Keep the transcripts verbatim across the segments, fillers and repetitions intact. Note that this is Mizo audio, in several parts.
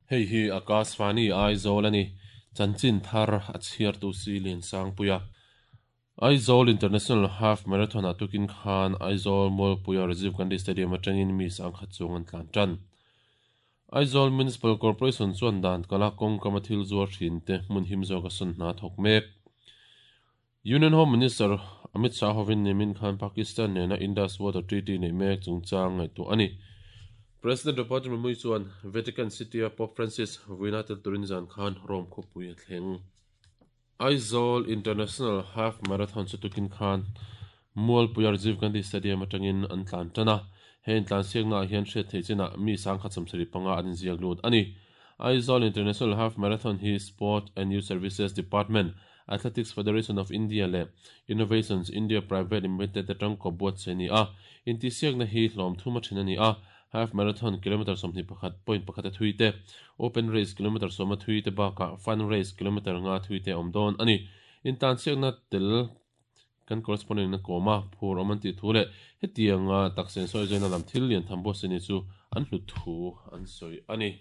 Hei hi Akashvani Aizawl ani chanchin thar a chhiar tu si lian sang puia Aizawl International Half Marathon a tukin khan Aizawl Mualpuia Rajiv Gandhi Stadium atangin mi sang khat chung an tlan tan Aizawl Municipal Corporation chuan dan kala kawng kama thil zuar thin te hmun him zawk a sawn hna thawk mek Union Home Minister Amit Shah hovin nimin khan Pakistan nena Indus Water Treaty nei mek chungchang ngaihtuah ani President Draupadi Murmu chuan Vatican City a Pope Francis vuina tel turin zan khan Rome khawpui a thleng Aizawl International Half Marathon chu tukin khan Mualpuia Rajiv Gandhi Stadium atangin an tlan tan a hei tlan siakna hian hriat theih chinah mi sang khat sawmsarih panga an inziak lut ani Aizawl International Half Marathon hi Sport and Youth Services Department Athletics Federation of India le Innovations India Private Limited atang ko buat se ni a inti siakna hi hlawm thuma thin ani a half marathon kilometer sawmhnih pakhat point pakhat a thui te open race kilometer sawma thui te bakah fun race kilometer nga thui te awm dawn ani intan siakna tel kan correspondent na kawma phur awm an tih thu leh hetianga taksen sawi zaina lam thil lian tham bawk se ni chu an hlut thu an sawi ani.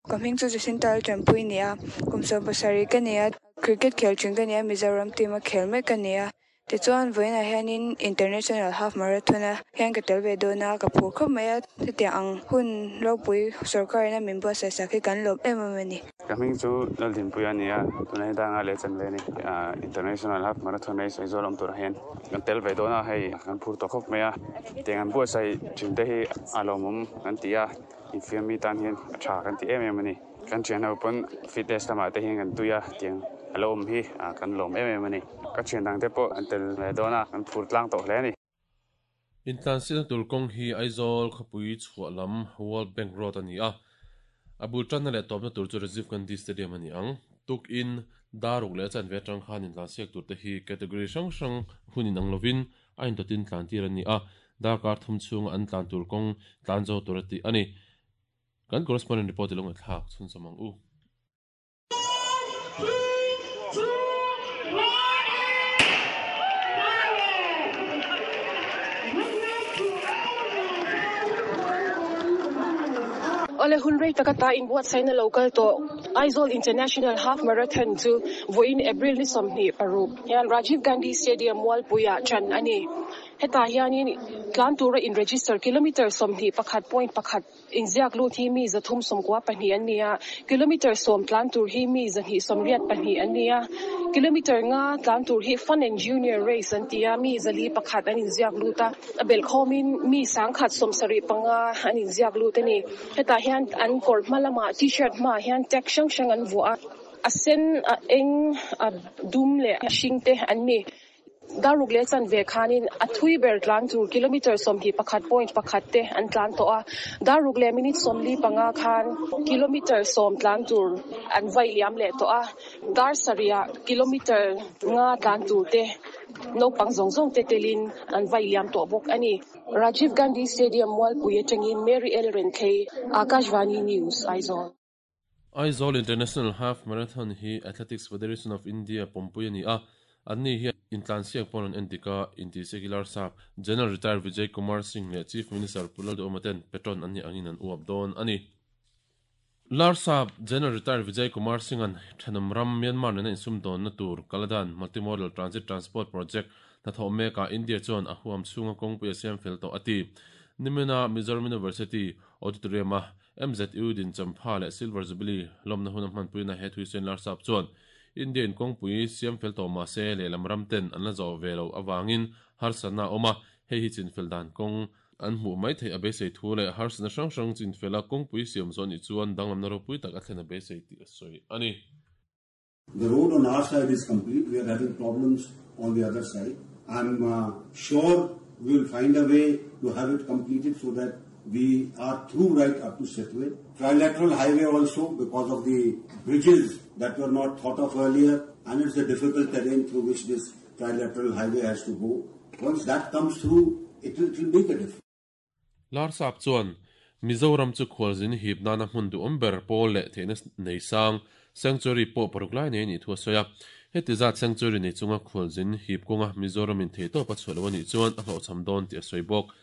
Ka hming chu Jacinta Champui ni a kum sawm pasarih ka ni a cricket khel thin ka ni a Mizoram team a khel mek ka ni a tichuan vawiinah hianin International Half Marathon a hian ka tel ve dawn a ka phur khawp mai a hetiang ang hun ropui sorkarin a min buatsaih sak hi kan lawm em em ani. Ka hming chu Laldinpuia ani a tunah hi danga leh chan ve ani International Half Marathon race Aizawl awm turah hian kan tel ve dawn a hei kan phur tawh khawp mai a tiang an buatsaih thin te hi a lawmawm kan ti a infiam mi tan hian a tha kan ti em em ani kan thian ho pawn fitness lamah te hian kan tui a tiang a lo awm hi kan lawm em em ani ka thian dang te pawh an tel ve dawn a kan phur tlang tawh hle ani. Intlan siakna tur kawng hi Aizawl khawpui chhuah lam World Bank Road ani a a bul tanna leh tawpna tur chu Rajiv Gandhi Stadium ani ang tukin daruk leh chan ve atang khan intlan siak tur te hi category hrang hrang hunin ang lovin a intotin tlan tir ani a darkar thum chhung an tlan tur kawng tlan zo tur ati ani kan correspondent report ilong thlak chhun samang u. Ole hun rei takata in buatsaihna local to Aizawl International Half Marathon chu vawiin April ni sawmhnih paruk hian Rajiv Gandhi Stadium Mualpuia chan ani heta hianin tlan tura in register kilometer sawmhnih pakhat point pakhat inziak lut hi mi zathum sawmkua pahnih an ni a kilometer sawm tlan tur hi mi zahnih sawmriat pahnih an ni a kilometer nga tlan tur hi fun and junior race an ti a mi zali pakhat an inziak lut a a bel khawmin mi sangkhat sawmsarih panga an inziak lut ani heta hian an kawr hma lamah t-shirt hmaah hian tag hrang hrang an vuah a a sen a eng a dum leh a hring te an ni daruk leh chan ve khanin a thui ber tlan tur kilometer sawmhnih pakhat point pakhat te an tlan tawh a daruk leh minute sawmli panga khan kilometer sawm tlan tur an vai liam leh tawh a dar sarihah kilometer nga tlan tur te naupang zawng zawng te telin an vai liam tawh bawk ani Rajiv Gandhi Stadium Mualpui atangin Mary L Renthei Akashvani News Aizawl. Aizawl International Half Marathon hi Athletics Federation of India pompui ani a anni hi intlan siak pawn an entika inti secular sap General Retired Vijay Kumar Singh leh Chief Minister Pu Lalduhoma ten patron anni angin an uap dawn ani Larsap General Retired Vijay Kumar Singh an thanam ram Myanmar nena insum dawn na tur Kaladan Multimodal Transit Transport Project hnathawh meka India chuan a huam chhunga kawngpui a siam fel tawh ati nimina Mizoram University Auditorium a M Z U din champha leh Silver Jubilee lawmna hun a hmanpuina he thuisen Larsap chuan Indian kawngpui siam fel tawh mahse lehlam ram ten an la zawh ve lo awangin harsatna awm a hei hi chinfel dan kawng an hmuh mai theih a beisei thu leh harsatna hrang hrang chinfela kawngpui siam zawh ni chuan danglamna ropui tak a thlen a beisei tih a sawi ani. The road on our side is complete. We are having problems on the other side. I'm uh, sure we will find a way to have it completed so that we are through right up to Setway. Trilateral highway also, because of the bridges that were not thought of earlier, and it's a difficult terrain through which this trilateral highway has to go. Once that comes through, it will, it will make a difference. Larsap chuan Mizoram chu khawlzin hip nana hmun du awm ber pawl leh theihna nei sang sanctuary pawh paruk lai nei ni thu a sawi a heti zat sanctuary nei chunga khawlzin hip kawnga Mizoram in thei tawp a chhuah lo anih chuan a hlawhchham dawn tih a sawi bawk.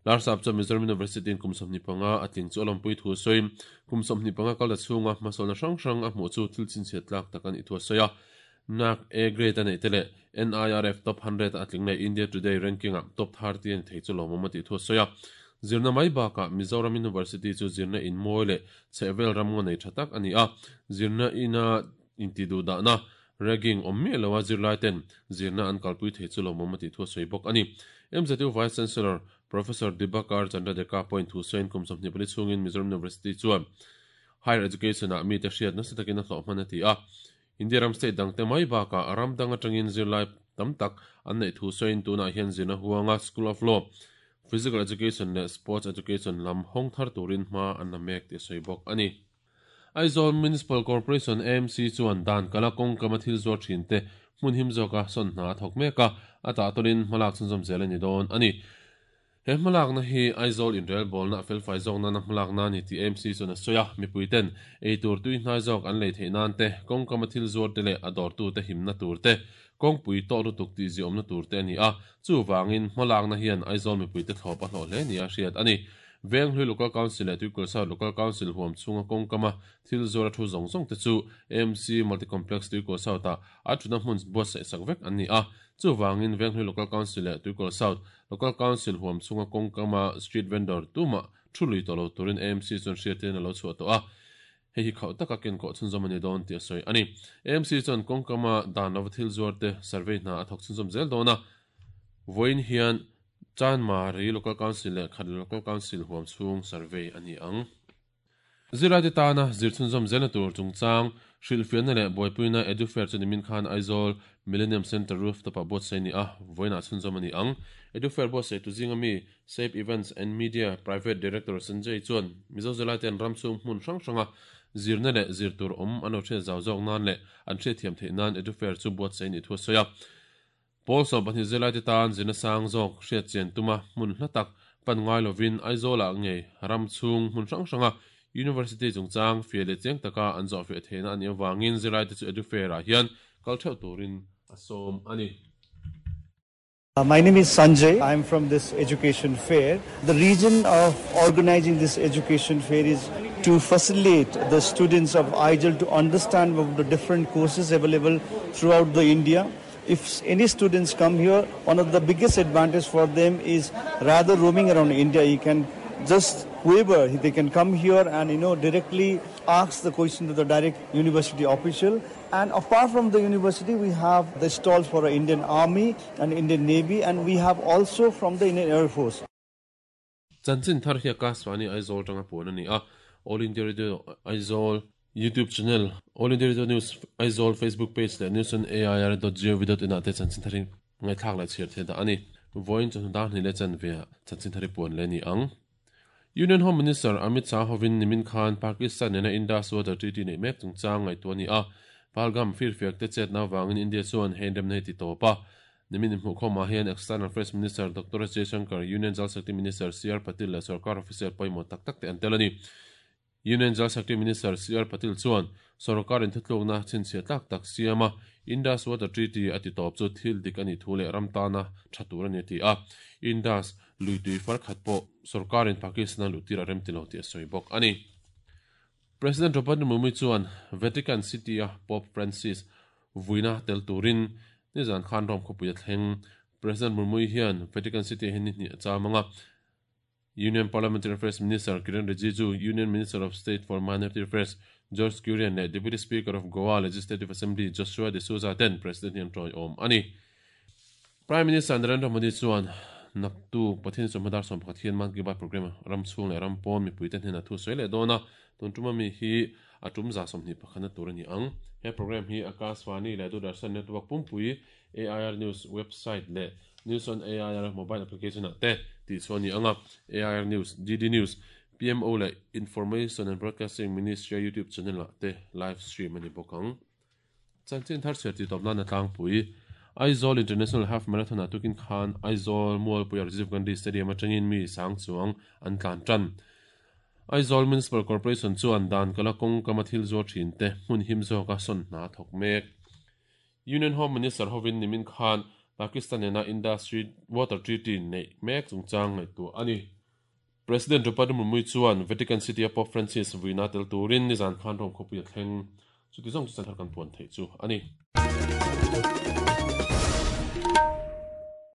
Larsap chu Mizoram University in kum sawmhnih panga a tling chu a lawmpui thu sawi kum sawmhnih panga kal ta chhunga hmasawlna hrang hrang a hmuh chu thil chhinchhiat tlak tak an i thu a sawi a. Nak A grade a nei te leh N I R F top hundred a tling leh India Today ranking a top thirty an thei chu lawmawm a tih thu a sawi a. Zirna mai bakah Mizoram University chu zirna in mawi leh chhehvel ram ngaw nei tha tak a ni a. Zirna ina inti duh dahna ragging awm miah lo a zirlai ten zirna an kalpui thei chu lawmawm a tih thu a sawi bawk a ni. M Z U Vice Chancellor Professor Dibakar Chandra Deka point thu sawiin kum sawmhnih pali chhungin Mizoram University chuan higher education ah mi te hriat nasa takin a hlawh hman a ti a. India ram state dang te mai bakah ram dang atangin zirlai tam tak an nei thu sawiin tunah hian zirna huanga School of Law, Physical Education leh Sports Education lam hawng thar turin hma an la mek tih a sawi bawk a ni. Aizawl Municipal Corporation A M C chuan dan kala kawng kama thil zuar thin te hmun him zawka sawn hna a thawk mek a, a tah tawlin hmalak chhunzawm zel a ni dawn a ni. He hmalakna hi Aizawl inrel bawlna a felfai zawk nana hmalakna ni tih A M C chuan a sawi a. Mipui ten ei tur tui hnai zawk an lei theih nan te, kawng kama thil zuar te leh a dawrtu te himna tur te, kawngpui tawh lutuk tih ziawmna tur te a ni a. Chu wangin hmalakna hian Aizawl mipui te thlawp a hlawh hle ni a hriat a ni. Venghlui Local Council leh Tuikul South Local Council huam chhunga kawng kama thil zuar a thu zawng zawng te chu A M C Multicomplex Tuikul South ah a thuna hmun buatsaih sak vek an ni a. Chu wangin Venghlui Local Council leh Tuikul South Local Council huam chhunga kawng kama street vendor tuma thu lui tawh lo turin A M C chuan hriatin a lo chhuah tawh a. Hei hi khauh taka ken kawh chhunzawm a ni dawn tih a sawi a ni. A M C chuan kawng kama dan lova thil zuar te survey hna a thawk chhunzawm zel dawn a. Vawiin hian Chanmari Local Council leh Khat Local Council huam chhung survey a ni ang. Zirlai te tana zir chhunzawm zelna tur chungchang hrilhfiahna leh buaipuina Edufair chu nimin khan Aizawl Millennium Centre rooftop ah buatsaih a ni a, vawiinah chhunzawm a ni ang. Edufair buatsaih tu zinga mi Safe Events and Media Private Director Sanjay chuan Mizo zirlai ten ram chhung hmun hrang hranga zirna leh zir tur awm an lo hriat zau zawk nan leh an hriat thiam theih nan Edufair chu buatsaih a nih thu a sawi a. Pawl sawm pahnih zirlai te tan zirna sang zawk hriat chian tuma hmun hla tak pan ngai lovin Aizawl ah ngei ram chhung hmun hrang hranga University chungchang fiah leh chiang taka an zawh fiah theihna a nih avangin zirlai te chu Edufair ah hian kal theuh turin a sawm a ni. My name is Sanjay. I am from this education fair. The reason of organizing this education fair is to facilitate the students of Aizawl to understand about the different courses available throughout the India. If any students come here, one of the biggest advantage for them is rather roaming around India, you can just whoever, they can come here and you know directly ask the question to the direct university official. And apart from the university, we have the stalls for the Indian Army and Indian Navy, and we have also from the Indian Air Force. Chanchin thar hi Akashvani Aizawl tanga puan a ni a. All India Radio Aizawl YouTube channel, All India Radio News Aizawl Facebook page leh news on A I R dot gov dot in ah te chanchin thar hi ngaithlak leh chhiar the dah a ni. Vawiin chu dar hnih leh chanve chanchin thar hi puan leh ni ang. Union Home Minister Amit Shah hovin nimin khan Pakistan nena Indus Water Treaty nei mek chungchang ngaihtuah a ni a. Pahalgam firfiak te chetna wangin India chuan hein remna hi ti tawp a. Nimin hmuh khawmah hian External Affairs Minister Doctor S Jaishankar, Union Jal Shakti Minister C R Patil leh Sarkar official pawimawh tak tak te an tel a ni. Union Jal Shakti Minister C R Patil chuan Sarkar in thutlukna chhinchhiah tlak tak siam a. Indus Water Treaty a ti tawp chu thil dik a nih thu leh ram tana tha tur a ni a ti a. Indus luitui far khat pawh Sarkar in Pakistan a luhtir a rem ti lo tih a sawi bawk a ni. President Draupadi Murmu chuan Vatican City a Pope Francis vuina tel turin nizan khan ram khawpui a thleng. President Murmu hian Vatican City hi ni hnih a chamanga. Union Parliamentary Affairs Minister Kiren Rijiju, Union Minister of State for Minority Affairs George Kurian leh Deputy Speaker of Goa Legislative Assembly Joshua D'Souza ten President hian tawi awm a ni. Prime Minister Narendra Modi chuan naktu pathian chawhmadar sawm pakhat hian Mann Ki Baat program ram chhung leh ram pawn mipui te hnenah thu sawi leh dawn a. Tun tuma mi hi a tum za sawmhnih pakhana tur a ni ang. He program hi Akashvani leh Doordarshan Network pumpui A I R News website leh News on A I R mobile application ah te tih chuan ni anga. A I R News, D D News, P M O leh Information and Broadcasting Ministry YouTube channel ah te live stream a ni bawk ang. Chanchin thar chhiar ti tawp nan a tlangpui. Aizawl International Half Marathon ah tukin khan Aizawl Mualpui Rajiv Gandhi Stadium atangin mi sang chuang an tlan tan. Aizawl Municipal Corporation chuan dan kala kawng kama thil zuar thin te hmun him zawka sawn hna thawk mek. Union Home Minister hovin nimin khan Pakistan nena Indus Water Treaty nei mek chungchang ngaihtuah a ni. President Draupadi Murmu chuan Vatican City a Pope Francis vuina tel turin nizan khan Rome khawpui a thleng. Chuti zawng chu chan thar kan puan theih chu a ni.